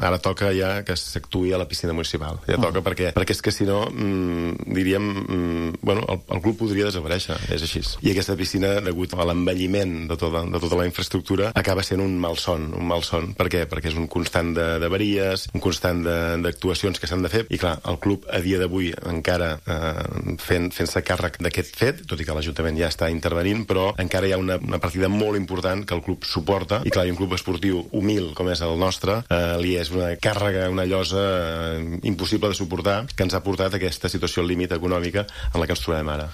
Ara toca ja que s'actuï a la piscina municipal. Ja toca perquè és que si no, diríem, el club podria desaparèixer, és així. I aquesta piscina, degut a l'envelliment de tota la infraestructura, acaba sent un malson. Per què? Perquè és un constant d'avaries, un constant d'actuacions que s'han de fer, i clar, el club a dia d'avui encara fent-se càrrec d'aquest fet, tot i que l'Ajuntament ja està intervenint, però encara hi ha una partida molt important que el club suporta, i clar, un club esportiu humil com és el nostre, li és una càrrega, una llosa impossible de suportar, que ens ha portat a aquesta situació límit econòmica en la que ens trobem ara.